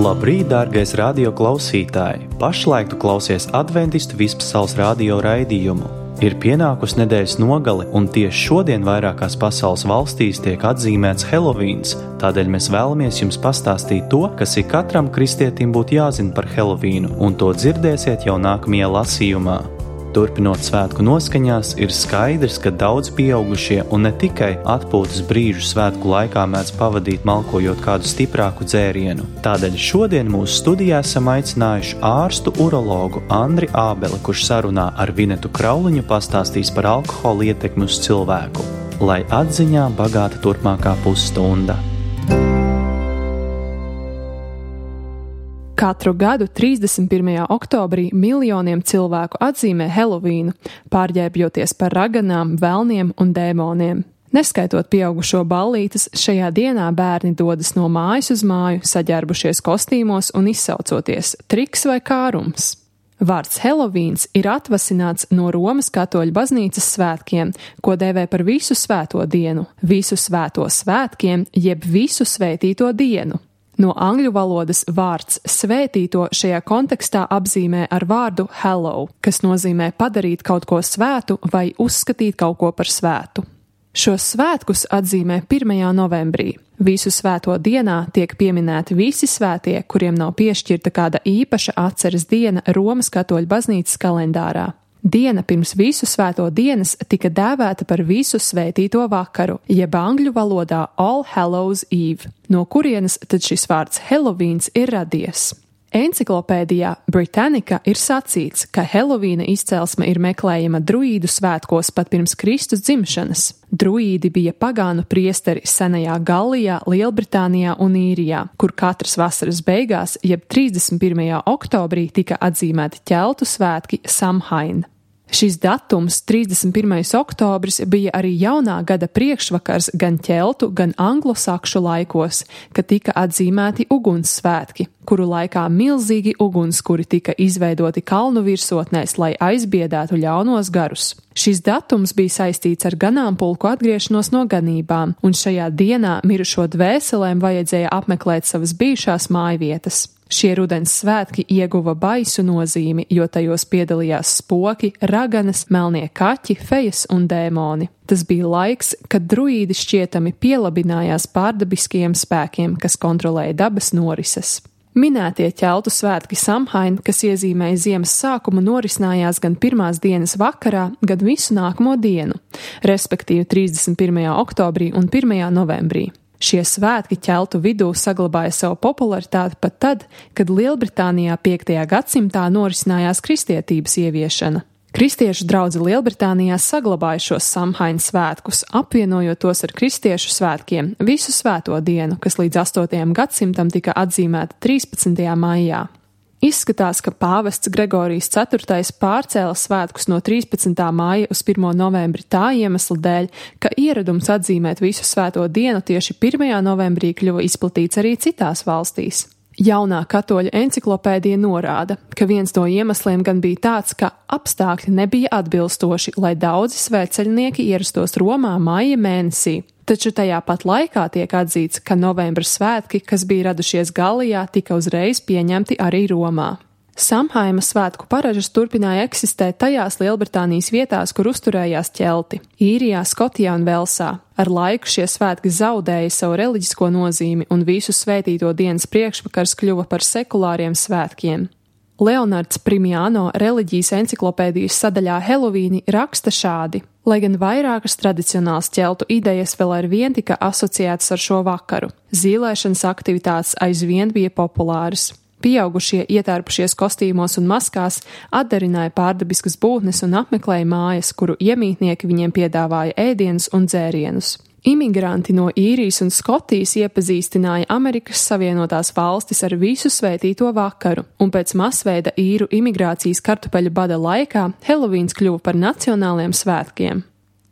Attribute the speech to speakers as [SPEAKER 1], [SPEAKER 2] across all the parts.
[SPEAKER 1] Labrīt, dārgais radio klausītāji! Pašlaik tu klausies Adventistu vispasaules radio raidījumu. Ir pienākusi nedēļas nogale, un tieši šodien vairākās pasaules valstīs tiek atzīmēts Helovīns. Tādēļ mēs vēlamies jums pastāstīt to, kas ik katram kristietim būtu jāzina par Helovīnu, un to dzirdēsiet jau nākamajā lasījumā. Turpinot svētku noskaņās, ir skaidrs, ka daudz pieaugušie un ne tikai atpūtas brīžu svētku laikā mēdz pavadīt malkojot kādu stiprāku dzērienu. Tādēļ šodien mūsu studijā esam aicinājuši ārstu urologu Andri Ābeli, kurš sarunā ar Vinetu Krauliņu pastāstīs par alkohola ietekmi uz cilvēku. Lai atziņā bagāta turpmākā pusstunda.
[SPEAKER 2] Katru gadu 31. oktobrī miljoniem cilvēku atzīmē Helovīnu, pārģērbjoties par raganām, velniem un dēmoniem. Neskaitot pieaugušo ballītes, šajā dienā bērni dodas no mājas uz māju, saģērbušies kostīmos un izsaucoties triks vai kārums. Vārds Helovīns ir atvasināts no Romas katoļu baznīcas svētkiem, ko dēvē par visu svēto dienu, visu svēto svētkiem, jeb visu svētīto dienu. No angļu valodas vārds svētīto šajā kontekstā apzīmē ar vārdu hallow, kas nozīmē padarīt kaut ko svētu vai uzskatīt kaut ko par svētu. Šos svētkus atzīmē 1. novembrī. Visu svēto dienā tiek pieminēti visi svētie, kuriem nav piešķirta kāda īpaša atceres diena Romas katoļu baznīcas kalendārā. Diena pirms visu svēto dienas tika dēvēta par visu svētīto vakaru, jeb angļu valodā All Hallows Eve, no kurienes tad šis vārds Helovīns ir radies. Enciklopēdijā Britannica ir sacīts, ka Helovīna izcelsme ir meklējama druīdu svētkos pat pirms Kristus dzimšanas. Druīdi bija pagānu priesteri senajā Gallijā, Lielbritānijā un Īrijā, kur katras vasaras beigās, jeb 31. oktobrī, tika atzīmēti ķeltu svētki Samhain. Šis datums, 31. oktobris, bija arī jaunā gada priekšvakars gan ķeltu, gan anglosakšu laikos, kad tika atzīmēti ugunssvētki, kuru laikā milzīgi ugunskuri tika izveidoti kalnu virsotnēs, lai aizbiedētu ļaunos garus. Šis datums bija saistīts ar ganāmpulku atgriešanos no ganībām, un šajā dienā mirušo dvēselēm vajadzēja apmeklēt savas bijušās mājvietas. Šie rudens svētki ieguva baisu nozīmi, jo tajos piedalījās spoki, raganas, melnie kaķi, fejas un dēmoni. Tas bija laiks, kad druīdi šķietami pielabinājās pārdabiskajiem spēkiem, kas kontrolēja dabas norises. Minētie ķeltu svētki Samhain, kas iezīmēja ziemas sākumu, norisinājās gan pirmās dienas vakarā, gan visu nākamo dienu, respektīvi 31. oktobrī un 1. novembrī. Šie svētki ķeltu vidū saglabāja savu popularitāti pat tad, kad Lielbritānijā 5. gadsimtā norisinājās kristietības ieviešana. Kristiešu draudze Lielbritānijā saglabāja šos Samhain svētkus, apvienojot tos ar kristiešu svētkiem visu svēto dienu, kas līdz 8. gadsimtam tika atzīmēta 13. maijā. Izskatās, ka pāvests Gregorijs IV pārcēla svētkus no 13. māja uz 1. novembri tā iemesla dēļ, ka ieradums atzīmēt visu svēto dienu tieši 1. novembrī kļuva izplatīts arī citās valstīs. Jaunā katoļu enciklopēdija norāda, ka viens no iemesliem gan bija tāds, ka apstākļi nebija atbilstoši, lai daudzi svētceļnieki ierastos Romā maija mēnesī. Taču tajā pat laikā tiek atzīts, ka novembra svētki, kas bija radušies Gallijā, tika uzreiz pieņemti arī Romā. Samhaina svētku paražas turpināja eksistēt tajās Lielbritānijas vietās, kur uzturējās ķelti – Īrijā, Skotijā un Velsā. Ar laiku šie svētki zaudēja savu reliģisko nozīmi un visu svētīto dienas priekšvakars kļuva par sekulāriem svētkiem. Leonards Primiano reliģijas enciklopēdijas sadaļā Helovīni raksta šādi: lai gan vairākas tradicionālas ķeltu idejas vēl arvien tika asociētas ar šo vakaru, zīlēšanas aktivitātes aizvien bija populāras. Pieaugušie ietērpušies kostīmos un maskās atdarināja pārdabiskas būtnes un apmeklēja mājas, kuru iemītnieki viņiem piedāvāja ēdienus un dzērienus. Imigranti no Īrijas un Skotijas iepazīstināja Amerikas Savienotās valstis ar visu svētīto vakaru, un pēc masveida īru imigrācijas kartupeļu bada laikā Helovīns kļuva par nacionāliem svētkiem.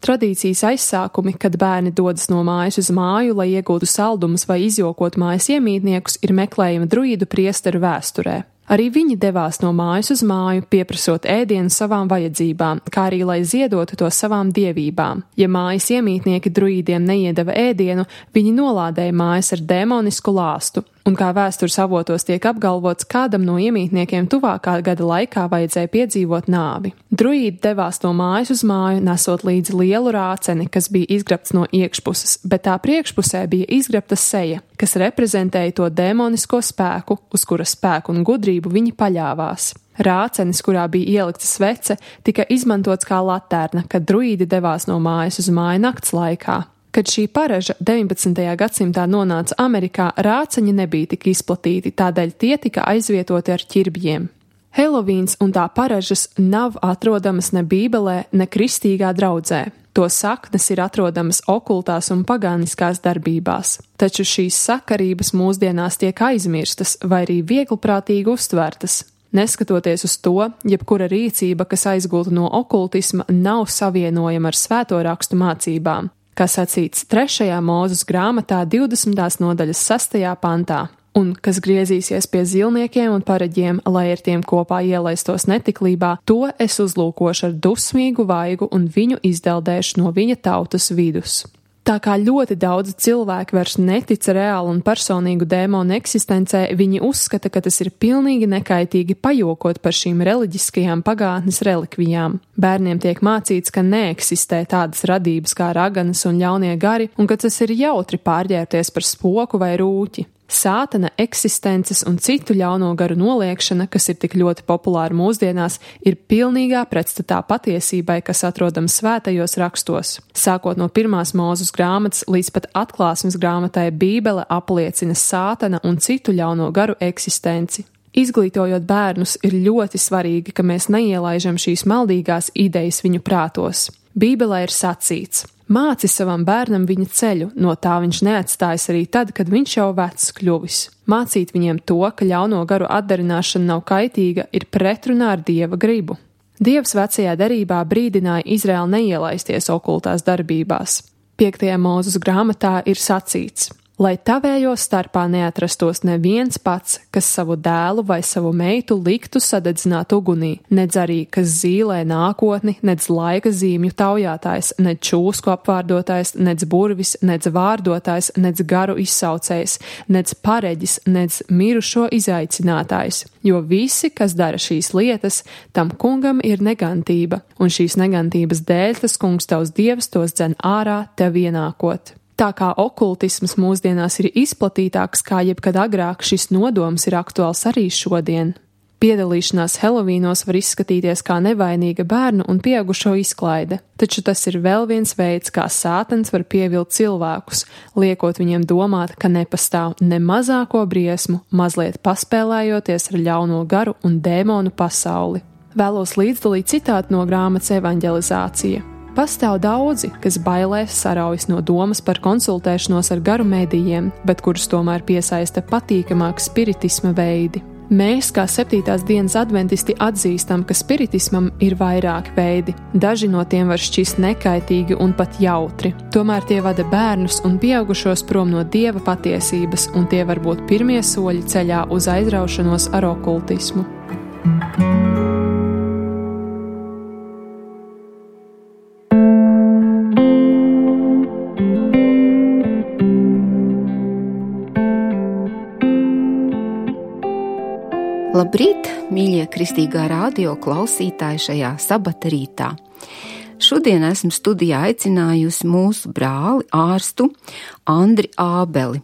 [SPEAKER 2] Tradīcijas aizsākumi, kad bērni dodas no mājas uz māju, lai iegūtu saldumus vai izjokot mājas iemītniekus, ir meklējami druīdu priesteru vēsturē. Arī viņi devās no mājas uz māju, pieprasot ēdienu savām vajadzībām, kā arī lai ziedotu to savām dievībām. Ja mājas iemītnieki druīdiem neiedeva ēdienu, viņi nolādēja mājas ar demonisku lāstu, un kā vēstures avotos tiek apgalvots, kādam no iemītniekiem tuvākā gada laikā vajadzēja piedzīvot nāvi. Druīdi devās no mājas uz māju, nesot līdzi lielu rāceni, kas bija izgrabts no iekšpuses, bet tā priekšpusē bija izgrabta seja, kas reprezentēja to dēmonisko spēku, uz kura spēku un gudrību viņi paļāvās. Rācenis, kurā bija ielikta svece, tika izmantots kā latērna, kad druīdi devās no mājas uz māju nakts laikā. Kad šī paraža 19. gadsimtā nonāca Amerikā, rāceņi nebija tik izplatīti, tādēļ tie tika aizvietoti ar ķirbjiem. Helovīns un tā paražas nav atrodamas ne Bībelē, ne kristīgā draudzē. To saknes ir atrodamas okultās un pagāniskās darbībās. Taču šīs sakarības mūsdienās tiek aizmirstas vai arī vieglprātīgi uztvertas. Neskatoties uz to, jebkura rīcība, kas aizgūta no okultisma, nav savienojama ar svēto rakstu mācībām, kā sacīts 3. Mūzes grāmatā 20. nodaļas 6. pantā, un kas griezīsies pie zilniekiem un pareģiem, lai ar tiem kopā ielaistos netiklībā, to es uzlūkošu ar dusmīgu vaigu un viņu izdeldēšu no viņa tautas vidus. Tā kā ļoti daudzi cilvēki vairs netic reālu un personīgu dēmonu eksistencē, viņi uzskata, ka tas ir pilnīgi nekaitīgi pajokot par šīm reliģiskajām pagātnes relikvijām. Bērniem tiek mācīts, ka neeksistē tādas radības kā raganas un ļaunie gari, un ka tas ir jautri pārģērbties par spoku vai rūķi. Sātana eksistences un citu ļauno garu noliekšana, kas ir tik ļoti populāra mūsdienās, ir pilnīgā pretstatā patiesībai, kas atrodama svētajos rakstos. Sākot no 1. Mūzes grāmatas līdz pat Atklāsmes grāmatai, Bībele apliecina sātana un citu ļauno garu eksistenci. Izglītojot bērnus, ir ļoti svarīgi, ka mēs neielaižam šīs maldīgās idejas viņu prātos. Bībelē ir sacīts: māci savam bērnam viņa ceļu, no tā viņš neatstājas arī tad, kad viņš jau vecs kļuvis. Mācīt viņiem to, ka ļauno garu atdarināšana nav kaitīga, ir pretrunā ar Dieva gribu. Dievs vecajā derībā brīdināja Izraēlu neielaisties okultās darbībās. 5. Mūzes grāmatā ir sacīts: lai tavējo starpā neatrastos neviens pats, kas savu dēlu vai savu meitu liktu sadedzināt ugunī, nedz arī, kas zīlē nākotni, nedz laika zīmju taujātājs, nedz čūsku apvārdotājs, nedz burvis, nedz vārdotājs, nedz garu izsaucējs, nedz pareģis, nedz mirušo izaicinātājs, jo visi, kas dara šīs lietas, tam kungam ir negantība, un šīs negantības dēļ tas kungs tavs Dievs tos dzen ārā tev ienākot. Tā kā okultisms mūsdienās ir izplatītāks kā jebkad agrāk, šis nodoms ir aktuāls arī šodien. Piedalīšanās Helovīnos var izskatīties kā nevainīga bērnu un pieaugušo izklaide, taču tas ir vēl viens veids, kā sātans var pievilt cilvēkus, liekot viņiem domāt, ka nepastāv ne mazāko briesmu, mazliet paspēlējoties ar ļauno garu un dēmonu pasauli. Vēlos līdzdalīt citātu no grāmatas Evanģelizācija. Pastāv daudzi, kas bailēs saraujas no domas par konsultēšanos ar garu medijiem, bet kurus tomēr piesaista patīkamāk spiritisma veidi. Mēs, kā 7. dienas adventisti, atzīstam, ka spiritismam ir vairāki veidi. Daži no tiem var šķist nekaitīgi un pat jautri. Tomēr tie vada bērnus un pieaugušos prom no Dieva patiesības, un tie var būt pirmie soļi ceļā uz aizraušanos ar okultismu.
[SPEAKER 3] Labrīt, mīļie kristīgā radio klausītāji šajā sabata rītā. Šodien esmu studijā aicinājusi mūsu brāli, ārstu Andri Ābeli,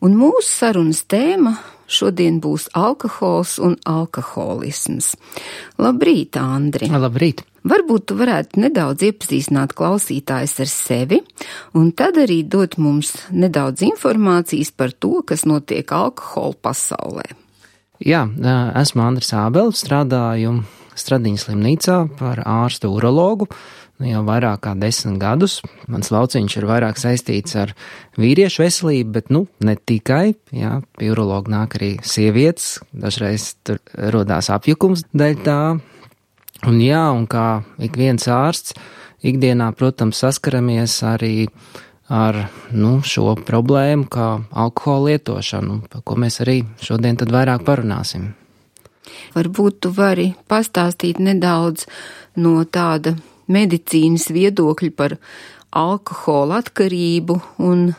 [SPEAKER 3] un mūsu sarunas tēma šodien būs alkohols un alkoholisms. Labrīt, Andri!
[SPEAKER 4] Labrīt!
[SPEAKER 3] Varbūt tu varētu nedaudz iepazīstināt klausītājus ar sevi, un tad arī dot mums nedaudz informācijas par to, kas notiek alkohola pasaulē.
[SPEAKER 4] Jā, esmu Andris Ābelis, strādāju Stradiņas slimnīcā par ārstu urologu jau vairāk kā 10 gadus. Mans lauciņš ir vairāk saistīts ar vīriešu veselību, bet ne tikai. Jā, pie urologa nāk arī sievietes, dažreiz tur rodās apjukums dēļ tā. Un kā ik viens ārsts, ikdienā, protams, saskaramies arī ar šo problēmu, kā alkohola lietošanu, par ko mēs arī šodien tad vairāk parunāsim.
[SPEAKER 3] Varbūt tu vari pastāstīt nedaudz no tāda medicīnas viedokļa par alkohola atkarību un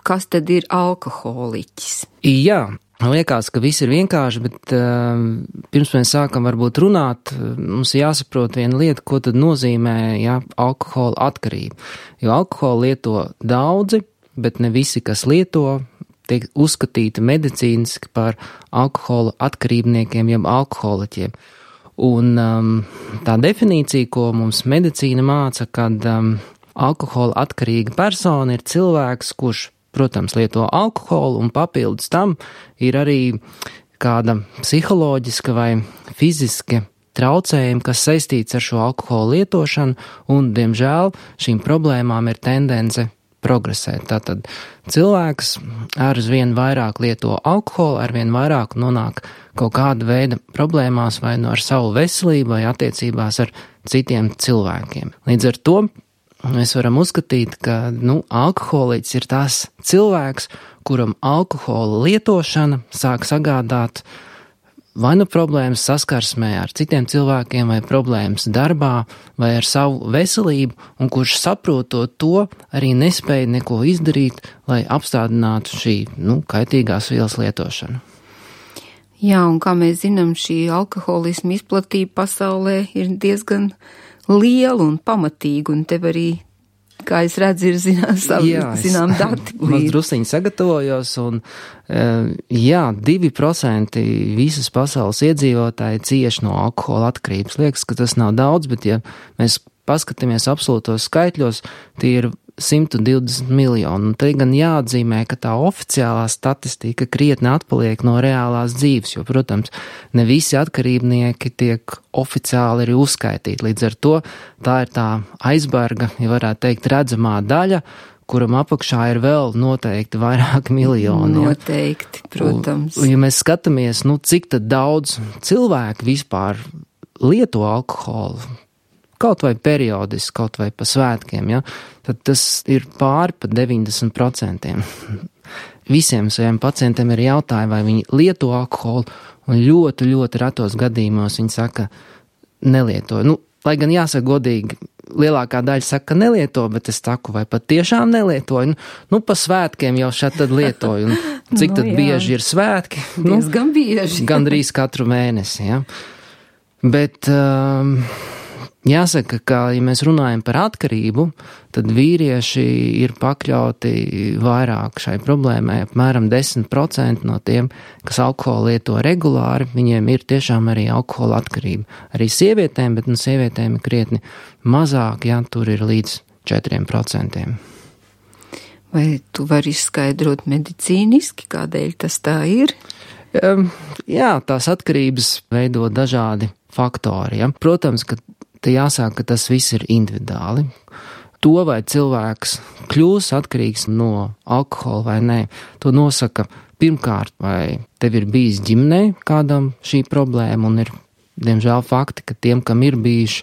[SPEAKER 3] kas tad ir alkoholiķis?
[SPEAKER 4] Jā, Liekas, ka viss ir vienkārši, bet pirms mēs sākam varbūt runāt, mums jāsaprot viena lieta, ko tad nozīmē alkohola atkarība. Jo alkoholu lieto daudzi, bet ne visi, kas lieto, tiek uzskatīti medicīniski par alkohola atkarībniekiem, jeb alkoholiķiem. Un tā definīcija, ko mums medicīna māca, kad alkohola atkarīga persona ir cilvēks, kurš, protams, lieto alkoholu, un papildus tam ir arī kāda psiholoģiska vai fiziska traucējuma, kas saistīts ar šo alkoholu lietošanu, un, diemžēl, šīm problēmām ir tendence progresēt. Tātad cilvēks arvien vairāk lieto alkoholu, arvien vairāk nonāk kaut kāda veida problēmās vai ar savu veselību vai attiecībās ar citiem cilvēkiem. Līdz ar to mēs varam uzskatīt, ka alkoholiķis ir tās cilvēks, kuram alkohola lietošana sāk sagādāt vai problēmas saskarsmē ar citiem cilvēkiem, vai problēmas darbā, vai ar savu veselību, un kurš saprotot to, arī nespēja neko izdarīt, lai apstādinātu šī kaitīgās vielas lietošanu.
[SPEAKER 3] Jā, un kā mēs zinām, šī alkoholisma izplatība pasaulē ir diezgan liela un pamatīga, un tev arī, kā es redzu, ir zinām dati.
[SPEAKER 4] Maz drusciņi sagatavojos, un 2% visas pasaules iedzīvotāji cieši no alkohola atkarības. Liekas, ka tas nav daudz, bet ja mēs paskatāmies absolūtos skaitļos, tie ir 120 miljoni. Un te gan jāatzīmē, ka tā oficiālā statistika krietni atpaliek no reālās dzīves, jo, protams, ne visi atkarībnieki tiek oficiāli arī uzskaitīti. Līdz ar to tā ir tā aizberga, ja varētu teikt, redzamā daļa, kuram apakšā ir vēl noteikti vairāki miljoni.
[SPEAKER 3] Noteikti, protams.
[SPEAKER 4] Un, ja mēs skatāmies, cik tad daudz cilvēku vispār lieto alkoholu, kaut vai periodiski, kaut vai pa svētkiem, tad tas ir pāri pa 90%. Visiem saviem pacientiem ir jautājumi, vai viņi lieto alkoholu, un ļoti, ļoti retos gadījumos viņi saka, nelietoju. Lai gan jāsaka godīgi, lielākā daļa saka, ka nelieto, bet es saku, vai pat tiešām nelietoju. Pa svētkiem jau šeit tad lietoju. Un cik tad bieži ir svētki?
[SPEAKER 3] Diezgan bieži.
[SPEAKER 4] Gandrīz katru mēnesi, Bet jāsaka, ka, ja mēs runājam par atkarību, tad vīrieši ir pakļauti vairāk šai problēmai. Apmēram 10% no tiem, kas alkoholu lieto regulāri, viņiem ir tiešām arī alkohola atkarība. Arī sievietēm, bet sievietēm ir krietni mazāk, tur ir līdz 4%.
[SPEAKER 3] Vai tu vari izskaidrot medicīniski, kādēļ tas tā ir?
[SPEAKER 4] Jā, tās atkarības veido dažādi faktori. Protams, ka te jāsaka, ka tas viss ir individuāli. To, vai cilvēks kļūs atkarīgs no alkohola vai nē, to nosaka pirmkārt, vai tev ir bijis ģimenē kādam šī problēma, un ir, diemžēl, fakti, ka tiem, kam ir bijuši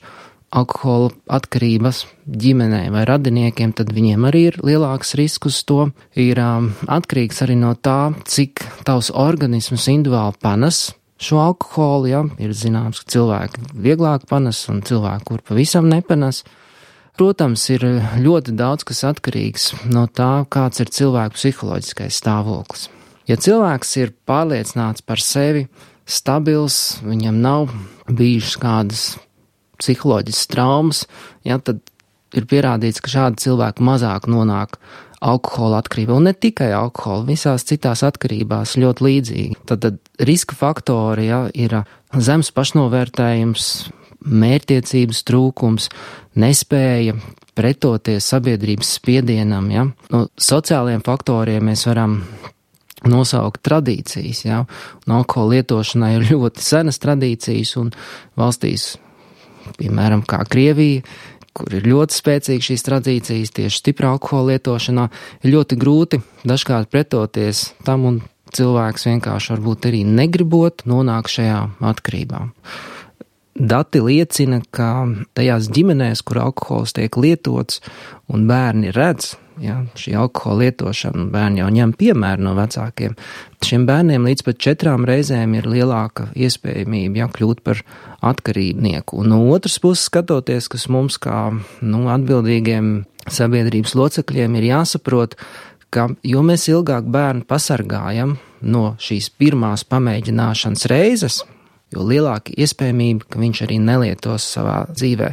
[SPEAKER 4] alkohola atkarības ģimenē vai radiniekiem, tad viņiem arī ir lielāks risks uz to. Ir atkarīgs arī no tā, cik tavs organisms individuāli panes šo alkoholu, ir zināms, ka cilvēki vieglāk panes un cilvēki, kur pavisam nepanes. Protams, ir ļoti daudz, kas atkarīgs no tā, kāds ir cilvēku psiholoģiskais stāvoklis. Ja cilvēks ir pārliecināts par sevi, stabils, viņam nav bijušas kādas psiholoģiskas traumas, tad ir pierādīts, ka šādi cilvēki mazāk nonāk alkohola atkarībā, un ne tikai alkohola, visās citās atkarībās ļoti līdzīgi. Tad riska faktori ir zems pašnovērtējums, mērķtiecības trūkums, nespēja pretoties sabiedrības spiedienam. No sociālajiem faktoriem mēs varam nosaukt tradīcijas. Un alkohola lietošanai ir ļoti senas tradīcijas, un valstīs, piemēram, kā Krievija, kur ir ļoti spēcīgi šīs tradīcijas tieši stipra alkohola lietošanā, ir ļoti grūti dažkārt pretoties tam, un cilvēks vienkārši varbūt arī negribot nonāk šajā atkarībā. Dati liecina, ka tajās ģimenēs, kur alkohols tiek lietots un bērni redz, šī alkohola lietošana, bērni jau ņem piemēru no vecākiem, šiem bērniem līdz pat 4 reizēm ir lielāka iespējamība kļūt par atkarībnieku. Un no otras puses skatoties, kas mums kā atbildīgiem sabiedrības locekļiem ir jāsaprot, ka jo mēs ilgāk bērnu pasargājam no šīs pirmās pamēģināšanas reizes, jo lielāka iespējamība, ka viņš arī nelietos savā dzīvē.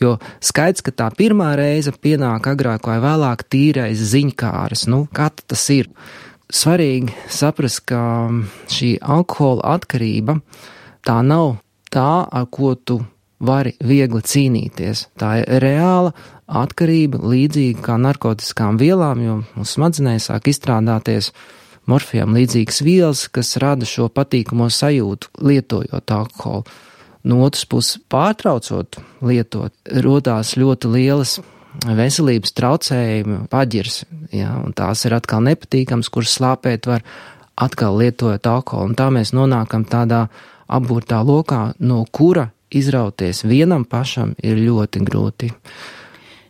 [SPEAKER 4] Jo skaidrs, ka tā pirmā reize pienāk agrāk vai vēlāk tīrais ziņkāres. Kā tas ir? Svarīgi saprast, ka šī alkohola atkarība tā nav tā, ar ko tu vari viegli cīnīties. Tā ir reāla atkarība, līdzīga kā narkotiskām vielām, jo mūsu smadzenēs sāk izstrādāties morfijām līdzīgas vielas, kas rada šo patīkamo sajūtu, lietojot alkoholu. No otras puses, pārtraucot lietot, rodās ļoti lielas veselības traucējumi, paģirs, un tās ir atkal nepatīkams, kuras slāpēt var atkal lietojot alkoholu. Un tā mēs nonākam tādā apburtā lokā, no kura izrauties vienam pašam ir ļoti grūti.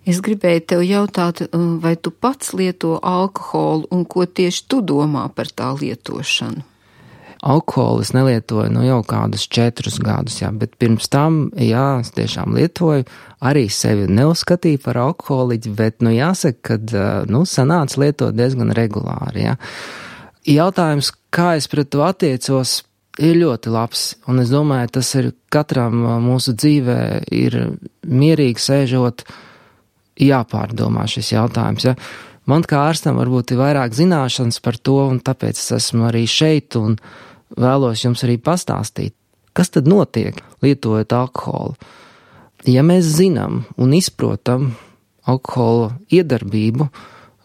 [SPEAKER 3] Es gribēju tev jautāt, vai tu pats lieto alkoholu un ko tieši tu domā par tā lietošanu?
[SPEAKER 4] Alkoholu es nelietoju jau kādus 4 gadus, bet pirms tam, es tiešām lietoju, arī sevi neuzskatīju par alkoholiķi, bet, jāsaka, ka, sanāca lietot diezgan regulāri, Jautājums, kā es pret to attiecos, ir ļoti labs, un es domāju, tas ir katram mūsu dzīvē ir mierīgi sēžot, jāpārdomā šis jautājums, Man kā ārstam varbūt ir vairāk zināšanas par to, un tāpēc es esmu arī šeit un vēlos jums arī pastāstīt, kas tad notiek, lietojot alkoholu. Ja mēs zinām un izprotam alkohola iedarbību,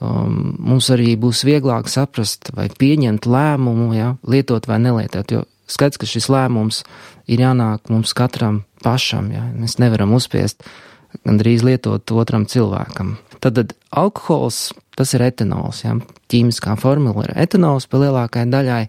[SPEAKER 4] mums arī būs vieglāk saprast vai pieņemt lēmumu, lietot vai nelietot, jo skaidrs, ka šis lēmums ir jānāk mums katram pašam, mēs nevaram uzspiest gandrīz lietot otram cilvēkam. Tad alkohols, tas ir etanols, ķīmiskā formula ir etanols, pa lielākai daļai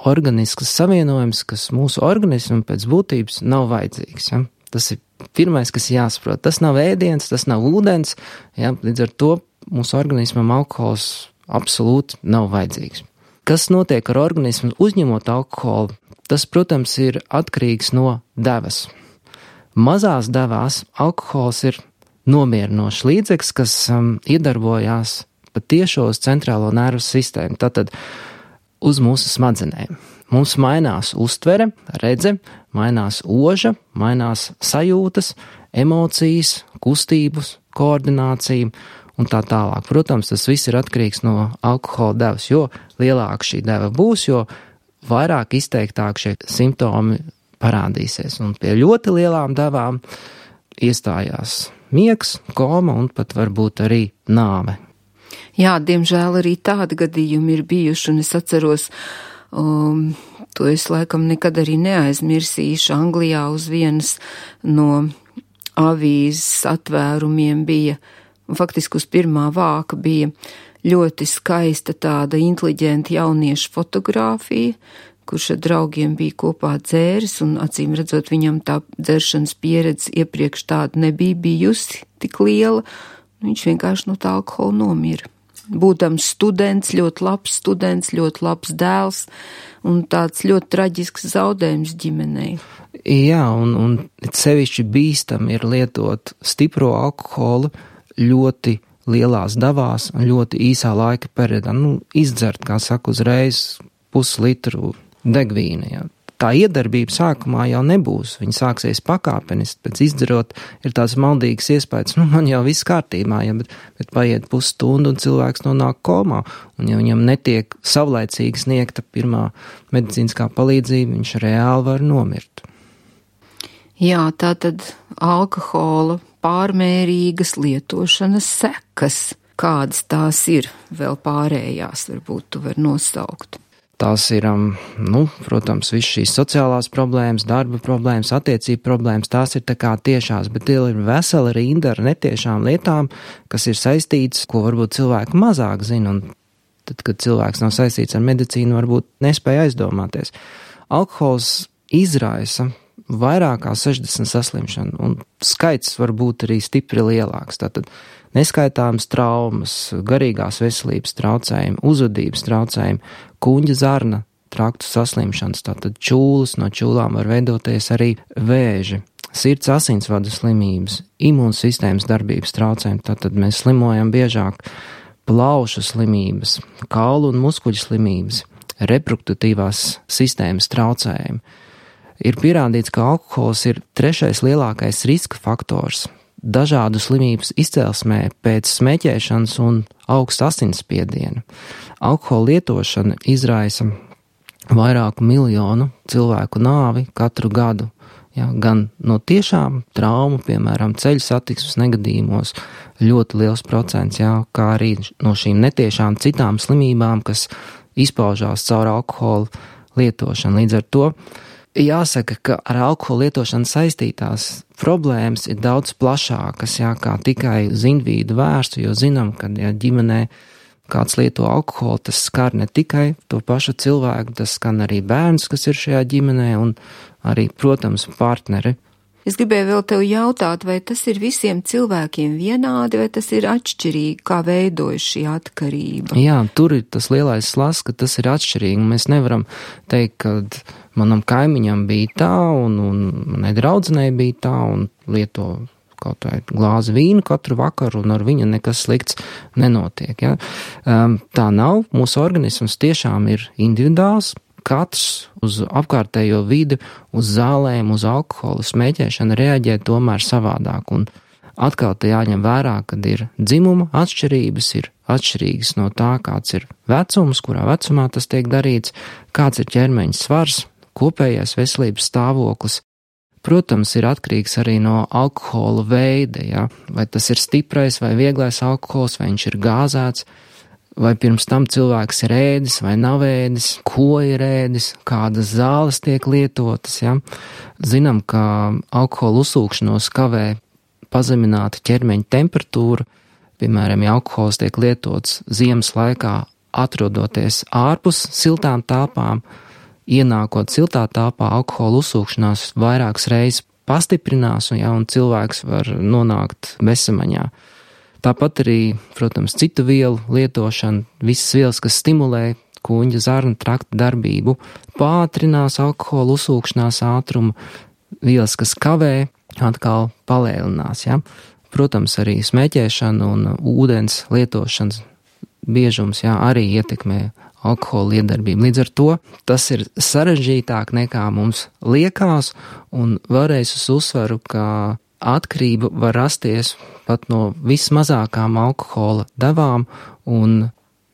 [SPEAKER 4] organisks savienojums, kas mūsu organismam pēc būtības nav vajadzīgs, Tas ir pirmais, kas jāsaprot. Tas nav ēdiens, tas nav ūdens, līdz ar to mūsu organismam alkohols absolūti nav vajadzīgs. Kas notiek ar organismu uzņemot alkoholu? Tas, protams, ir atkarīgs no devas. Mazās devās alkohols ir nomierinošs līdzeklis, kas iedarbojās patiešo uz centrālo nervu sistēmu, tātad uz mūsu smadzenēm. Mums mainās uztvere, redze, mainās oža, mainās sajūtas, emocijas, kustības, koordinācija un tā tālāk. Protams, tas viss ir atkarīgs no alkohola devas, jo lielāka šī deva būs, jo vairāk izteiktāk šie simptomi parādīsies. Un pie ļoti lielām devām iestājās miegs, koma un pat varbūt arī nāve.
[SPEAKER 3] Jā, diemžēl arī tādi gadījumi ir bijuši, un es atceros, to es laikam nekad arī neaizmirsīšu. Anglijā uz vienas no avīzes atvērumiem bija, faktiski uz pirmā vāka bija ļoti skaista tāda inteliģenta jaunieša fotogrāfija, kurš ar draugiem bija kopā dzēris, un acīm redzot viņam tā dzeršanas pieredze iepriekš tāda nebija bijusi tik liela, viņš vienkārši no tā alkohola nomira. Būdams students, ļoti labs dēls un tāds ļoti traģisks zaudējums ģimenei.
[SPEAKER 4] Jā, un sevišķi bīstam ir lietot stipro alkoholu ļoti lielās devās un ļoti īsā laika periodā. Izdzert, kā saka, uzreiz puslitru degvīna. Tā iedarbība sākumā jau nebūs, viņa sāksies pakāpeniski, pēc izdzerot ir tāds maldīgs iespējas, man jau viss kārtībā, bet paiet pusstundu un cilvēks nonāk komā, un ja viņam netiek savlaicīgi sniegta pirmā medicīniskā palīdzība, viņš reāli var nomirt.
[SPEAKER 3] Jā, tātad alkohola pārmērīgas lietošanas sekas, kādas tās ir, vēl pārējās, varbūt tu var nosaukt.
[SPEAKER 4] Tās ir, protams, viss šīs sociālās problēmas, darba problēmas, attiecību problēmas, tās ir tā kā tiešās, bet ir vesela rinda ar netiešām lietām, kas ir saistītas, ko varbūt cilvēki mazāk zina, un tad, kad cilvēks nav saistīts ar medicīnu, varbūt nespēja aizdomāties. Alkohols izraisa vairāk kā 60 saslimšanu, un skaits var būt arī stipri lielāks. Tātad neskaitāmas traumas, garīgās veselības traucējumi, uzvedības traucējumi, kuņģa zarna traktu saslimšanas, tātad čūlas, no čūlām var veidoties arī vēži, sirds asinsvadu slimības, imūnsistēmas darbības traucējumi, tātad mēs slimojam biežāk plaušu slimības, kaulu un muskuļu slimības, reproduktīvās sistēmas traucējumi. Ir pierādīts, ka alkohols ir 3. lielākais riska faktors dažādu slimības izcelsmē pēc smēķēšanas un augsta asinsspiediena. Alkohola lietošana izraisa vairāku miljonu cilvēku nāvi katru gadu. Ja, gan no tiešām traumu, piemēram, ceļu satiksmes negadījumos, ļoti liels procents, ja, kā arī no šīm netiešām citām slimībām, kas izpaužās caur alkohola lietošanu. Līdz ar to jāsaka, ka ar alkohola lietošanu saistītās problēmas ir daudz plašākas, ja, kā tikai uz individu vērstu, jo zinām, ka ja ģimenē kāds lieto alkoholu, tas skar ne tikai to pašu cilvēku, tas skan arī bērns, kas ir šajā ģimenē, un arī, protams, partneri.
[SPEAKER 3] Es gribēju vēl tev jautāt, vai tas ir visiem cilvēkiem vienādi, vai tas ir atšķirīgi, kā veidojas šī atkarība?
[SPEAKER 4] Jā, tur ir tas lielais slazds, ka tas ir atšķirīgi. Mēs nevaram teikt, ka manam kaimiņam bija tā, un manai draudzenei bija tā, un lieto kaut vai glāzi vīnu katru vakaru, un ar viņu nekas slikts nenotiek. Ja? Tā nav. Mūsu organisms tiešām ir individuāls. Katrs uz apkārtējo vidi, uz zālēm, uz alkoholu smēķēšanu reaģē tomēr savādāk. Un atkal te jāņem vērā, kad ir dzimuma atšķirības, ir atšķirīgas no tā, kāds ir vecums, kurā vecumā tas tiek darīts, kāds ir ķermeņa svars, kopējais veselības stāvoklis. Protams, ir atkarīgs arī no alkohola veida, ja? Vai tas ir stiprais vai vieglais alkohols, vai viņš ir gāzēts, vai pirms tam cilvēks ir ēdis vai nav ēdis, ko ir ēdis, kādas zāles tiek lietotas. Ja? Zinām, ka alkohola uzsūkšanos kavē pazemināta ķermeņa temperatūra, piemēram, ja alkohols tiek lietots ziemas laikā, atrodoties ārpus siltām telpām, ienākot siltā telpā, alkohola uzsūkšanās vairākas reizes pastiprinās, un cilvēks var nonākt bezsamaņā. Tāpat arī, protams, citu vielu lietošana, visas vielas, kas stimulē kuņģa zarnu trakta darbību, pātrinās alkohola uzsūkšanās ātrumu, vielas, kas kavē, atkal palēlinās. Ja? Protams, arī smēķēšana un ūdens lietošanas biežums arī ietekmē alkohola iedarbību. Līdz ar to tas ir sarežģītāk nekā mums liekas, un vēlreiz uz uzsvaru, ka atkarība var rasties pat no vismazākām alkohola devām, un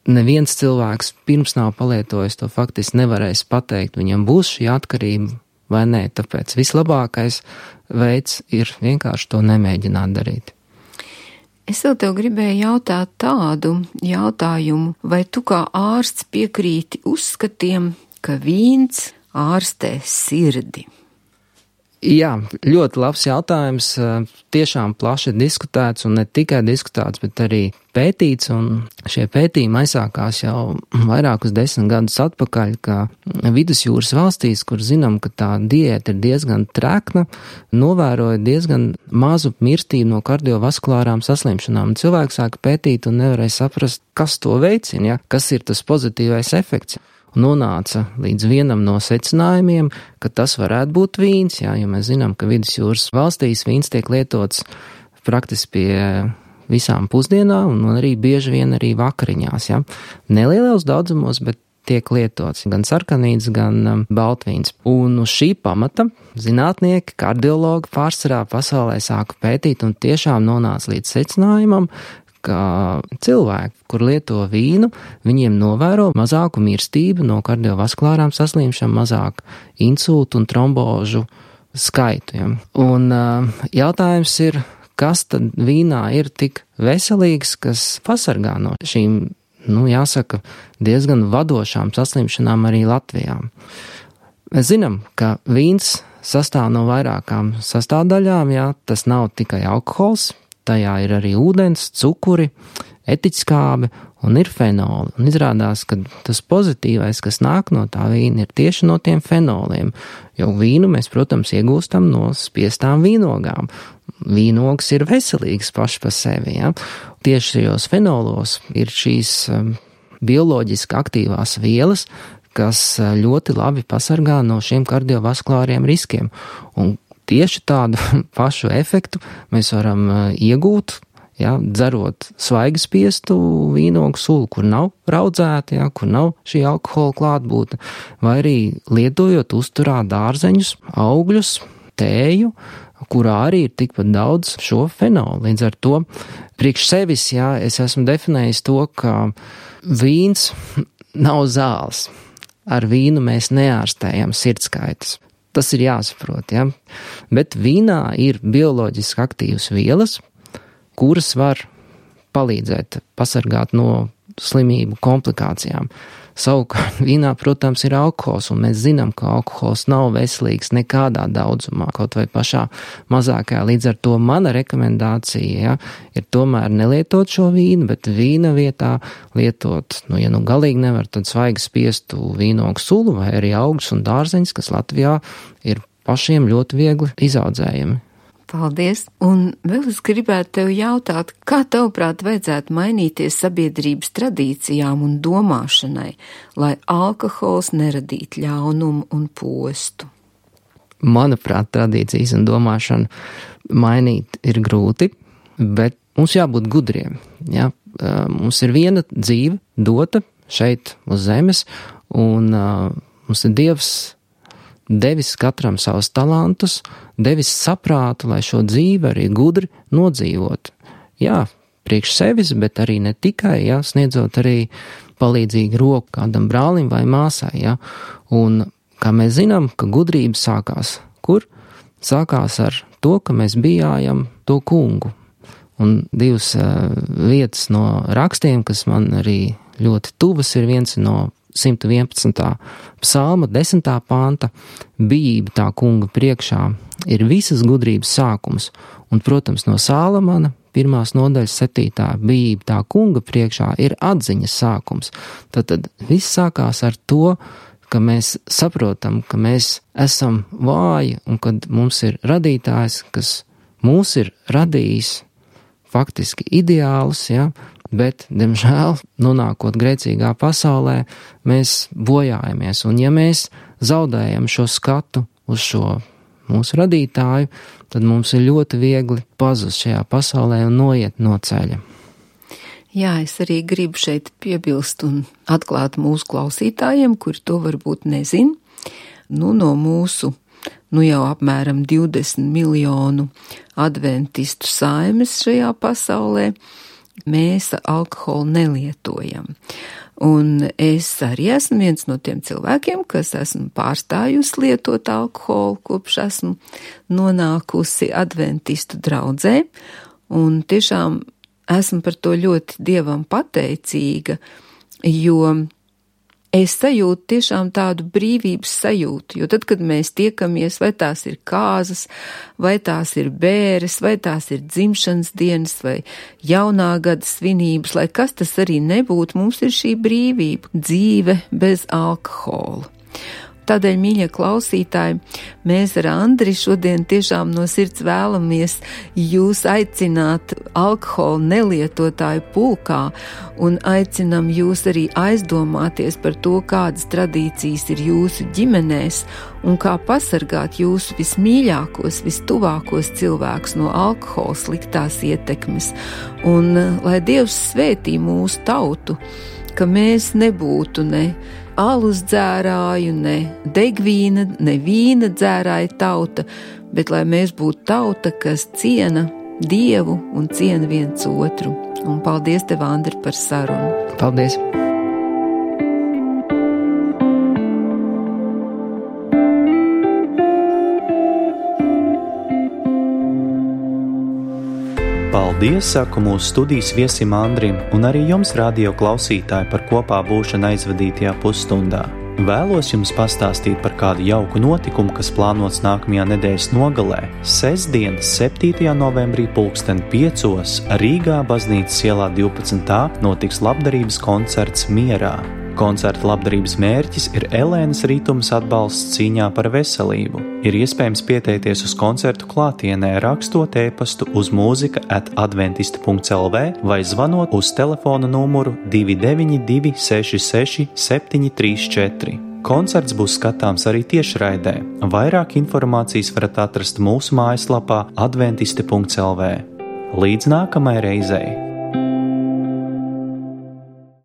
[SPEAKER 4] neviens cilvēks pirms nav palietojis to faktiski nevarēs pateikt, viņam būs šī atkarība vai nē, tāpēc vislabākais veids ir vienkārši to nemēģināt darīt.
[SPEAKER 3] Es vēl tev gribēju jautāt tādu jautājumu, vai tu kā ārsts piekrīti uzskatiem, ka vīns ārstē sirdi?
[SPEAKER 4] Jā, ļoti labs jautājums, tiešām plaši diskutēts, un ne tikai diskutēts, bet arī pētīts, un šie pētījumi aizsākās jau vairākus 10 gadus atpakaļ, ka vidusjūras valstīs, kur zinām, ka tā diēta ir diezgan trekna, novēroja diezgan mazu mirstību no kardiovaskulārām saslimšanām. Cilvēki sāka pētīt un nevarēja saprast, kas to veicina, kas ir tas pozitīvais efekts. Nonāca līdz vienam no secinājumiem, ka tas varētu būt vīns, jo mēs zinām, ka vidusjūras valstīs vīns tiek lietots praktiski pie visām pusdienām un arī bieži vien arī vakariņās. Ja? Nelielos daudzumos, bet tiek lietots gan sarkanīts, gan baltvīns. Un uz šī pamata zinātnieki, kardiologi pārsvarā pasaulē sāka pētīt un tiešām nonāca līdz secinājumam, ka cilvēki, kur lieto vīnu, viņiem novēro mazāku mirstību no kardiovaskulārām saslimšanām, mazāk insultu un trombožu skaitu. Ja. Un jautājums ir, kas tad vīnā ir tik veselīgs, kas pasargā no šīm, jāsaka, diezgan vadošām saslimšanām arī Latvijā. Mēs zinām, ka vīns sastāv no vairākām sastāvdaļām, tas nav tikai alkohols, tajā ir arī ūdens, cukuri, etiķskābe un ir fenoli. Un izrādās, ka tas pozitīvais, kas nāk no tā vīna, ir tieši no tiem fenoliem, jo vīnu mēs, protams, iegūstam no spiestām vīnogām. Vīnogas ir veselīgas paši pa sevi, ja? Tieši šajos fenolos ir šīs bioloģiski aktīvās vielas, kas ļoti labi pasargā no šiem kardiovaskulāriem riskiem. Un tieši tādu pašu efektu mēs varam iegūt, ja, dzerot svaigi spiestu vīnogu sulu, kur nav raudzēta, ja, kur nav šī alkohola klātbūtne, vai arī lietojot uzturā dārzeņus, augļus, tēju, kurā arī ir tikpat daudz šo fenolu. Līdz ar to priekš sevis, ja, es esmu definējis to, ka vīns nav zāles. Ar vīnu mēs neārstējam sirdskaitas. Tas ir jāsaprot, ja? Bet vīnā ir bioloģiski aktīvas vielas, kuras var palīdzēt pasargāt no slimību komplikācijām. Savukārt vīnā, protams, ir alkohols, un mēs zinām, ka alkohols nav veselīgs nekādā daudzumā, kaut vai pašā mazākajā. Līdz ar to mana rekomendācija, ja, ir tomēr nelietot šo vīnu, bet vīna vietā lietot, ja galīgi nevar, tad svaigi spiestu vīnogu sulu vai arī augus un dārzeņus, kas Latvijā ir pašiem ļoti viegli izaudzējami.
[SPEAKER 3] Paldies! Un vēl es gribētu tev jautāt, kā tavuprāt vajadzētu mainīties sabiedrības tradīcijām un domāšanai, lai alkohols neradītu ļaunumu un postu?
[SPEAKER 4] Manuprāt, tradīcijas un domāšanu mainīt ir grūti, bet mums jābūt gudriem. Ja? Mums ir viena dzīve dota šeit uz zemes, un mums ir Dievs devis katram savus talantus, devis saprātu, lai šo dzīvi arī gudri nodzīvot. Jā, priekš sevis, bet arī ne tikai, jā, sniedzot arī palīdzīgu roku kādam brālim vai māsai, jā. Un, kā mēs zinām, ka gudrība sākās kur? Sākās ar to, ka mēs bijājam to kungu. Un divas vietas no rakstiem, kas man arī ļoti tuvas, ir viens no 111. psalma 10. panta, bijība tā kunga priekšā ir visas gudrības sākums, un, protams, no Sālamana 1. nodaļas 7. bijība tā kunga priekšā ir atziņas sākums. Tad viss sākās ar to, ka mēs saprotam, ka mēs esam vāji, un kad mums ir radītājs, kas mūs ir radījis faktiski ideālus, ja, bet, diemžēl, nonākot grēcīgā pasaulē, mēs bojājamies. Un ja mēs zaudējam šo skatu uz šo mūsu radītāju, tad mums ir ļoti viegli pazust šajā pasaulē un noiet no ceļa.
[SPEAKER 3] Jā, es arī gribu šeit piebilst un atklāt mūsu klausītājiem, kuri to varbūt nezin. No mūsu jau apmēram 20 miljonu adventistu saimes šajā pasaulē, mēs alkoholu nelietojam. Un es arī esmu viens no tiem cilvēkiem, kas esmu pārstājusi lietot alkoholu, kopš esmu nonākusi adventistu draudzē, un tiešām esmu par to ļoti Dievam pateicīga, jo es sajūtu tiešām tādu brīvības sajūtu, jo tad, kad mēs tiekamies, vai tās ir kāzas, vai tās ir bēres, vai tās ir dzimšanas dienas, vai jaunā gada svinības, lai kas tas arī nebūtu, mums ir šī brīvība, dzīve bez alkohola. Tādēļ, mīļie klausītāji, mēs ar Andri šodien tiešām no sirds vēlamies jūs aicināt alkoholu nelietotāju pulkā un aicinam jūs arī aizdomāties par to, kādas tradīcijas ir jūsu ģimenēs un kā pasargāt jūsu vismīļākos, vistuvākos cilvēkus no alkohola sliktās ietekmes. Un lai Dievs svētī mūsu tautu, ka mēs nebūtu ne alus dzērāju, ne degvīna, ne vīna dzērāja tauta, bet lai mēs būtu tauta, kas ciena Dievu un ciena viens otru. Un paldies tev, Andri, par sarunu.
[SPEAKER 4] Paldies!
[SPEAKER 1] Paldies, saku mūsu studijas viesim Andrim un arī jums, radio klausītāji, par kopā būšanu aizvadītajā pusstundā. Vēlos jums pastāstīt par kādu jauku notikumu, kas plānots nākamajā nedēļas nogalē. Sestdien, 7. novembrī 5:00 Rīgā Baznīcas ielā 12. notiks labdarības koncerts Mierā. Koncerta labdarības mērķis ir Elēnas Rītumas atbalsts cīņā par veselību. Ir iespējams pieteikties uz koncertu klātienē, rakstot e-pastu uz mūzika@adventistu.lv vai zvanot uz telefona numuru 292 66 734. Koncerts būs skatāms arī tiešraidē. Vairāk informācijas varat atrast mūsu mājaslapā adventisti.lv. Līdz nākamai reizei!